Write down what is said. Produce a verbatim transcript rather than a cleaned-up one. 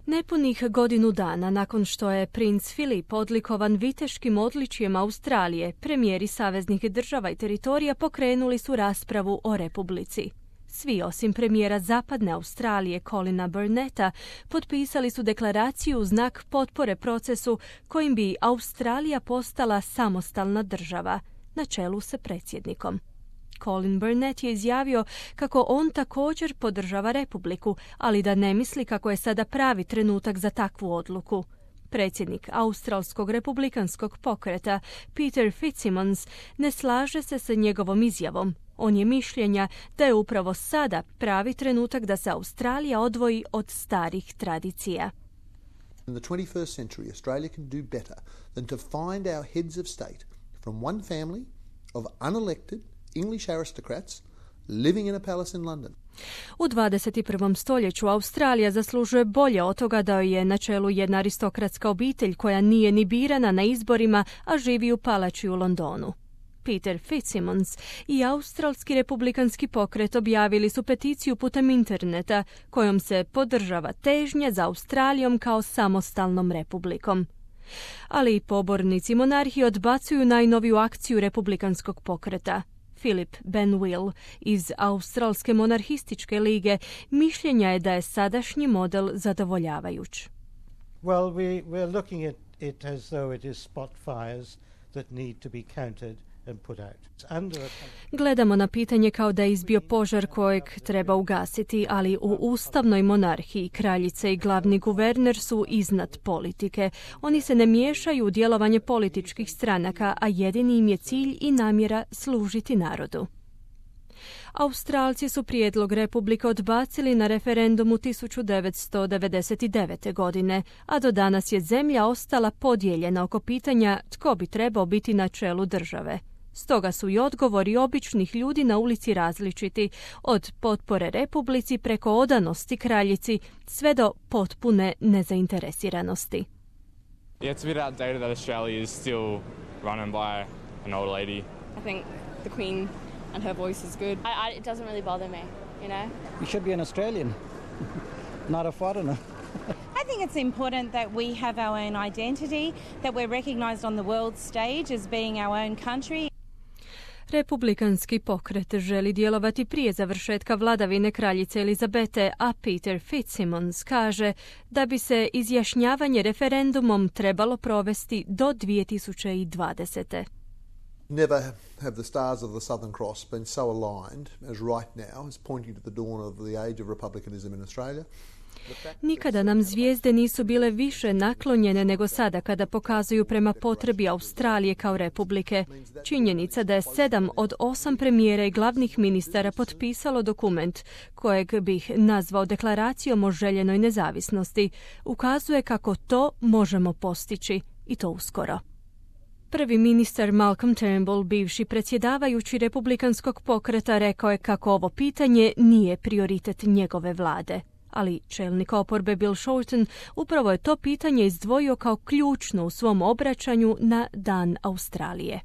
Nepunih godinu dana nakon što je princ Filip odlikovan viteškim odličjem Australije, premijeri saveznih država i teritorija pokrenuli su raspravu o republici. Svi osim premijera Zapadne Australije Colina Burnetta potpisali su deklaraciju u znak potpore procesu kojim bi Australija postala samostalna država, na čelu sa predsjednikom. Colin Burnett je izjavio kako on također podržava republiku, ali da ne misli kako je sada pravi trenutak za takvu odluku. Predsjednik Australskog republikanskog pokreta Peter Fitzsimmons ne slaže se sa njegovom izjavom. On je mišljenja da je upravo sada pravi trenutak da se Australija odvoji od starih tradicija. In the twenty-first century, Australia can do better than to find our heads of state from one family of unelected English aristocrats living in a palace in London. U dvadeset prvom stoljeću Australija zaslužuje bolje od toga da joj je na čelu jedna aristokratska obitelj koja nije ni birana na izborima, a živi u palači u Londonu. Peter Fitzsimmons i Australski republikanski pokret objavili su peticiju putem interneta kojom se podržava težnja za Australijom kao samostalnom republikom. Ali i pobornici monarhije odbacuju najnoviju akciju republikanskog pokreta. Philip Benwill iz Australske monarhističke lige mišljenja je da je sadašnji model zadovoljavajuć. Well, we, we're looking at it as though it is spot fires that need to be counted and put out. Under a... Gledamo na pitanje kao da je izbio požar kojeg treba ugasiti, ali u ustavnoj monarhiji kraljice i glavni guverner su iznad politike. Oni se ne miješaju u djelovanje političkih stranaka, a jedini im je cilj i namjera služiti narodu. Australci su prijedlog republike odbacili na referendumu tisuću devetsto devedeset devete. godine, a do danas je zemlja ostala podijeljena oko pitanja tko bi trebao biti na čelu države. Stoga su i odgovori običnih ljudi na ulici različiti, od potpore republici preko odanosti kraljici sve do potpune nezainteresiranosti. Yeah, it's a bit outdated that Australia is still run by an old lady. I think the Queen and her voice is good. I, I, it doesn't really bother me, you know. You should be an Australian, not a foreigner. I think it's important that we have our own identity, that we're recognised on the world stage as being our own country. Republikanski pokret želi djelovati prije završetka vladavine kraljice Elizabete, a Peter Fitzsimmons kaže da bi se izjašnjavanje referendumom trebalo provesti do dvije tisuće dvadesete. Never have the stars of the Southern Cross been so aligned as right now, as pointing to the dawn of the age of republicanism in Australia. Nikada nam zvijezde nisu bile više naklonjene nego sada kada pokazuju prema potrebi Australije kao republike. Činjenica da je sedam od osam premijera i glavnih ministara potpisalo dokument kojeg bih nazvao deklaracijom o željenoj nezavisnosti ukazuje kako to možemo postići i to uskoro. Prvi ministar Malcolm Turnbull, bivši predsjedavajući republikanskog pokreta, rekao je kako ovo pitanje nije prioritet njegove vlade. Ali čelnik oporbe Bill Shorten upravo je to pitanje izdvojio kao ključno u svom obraćanju na Dan Australije.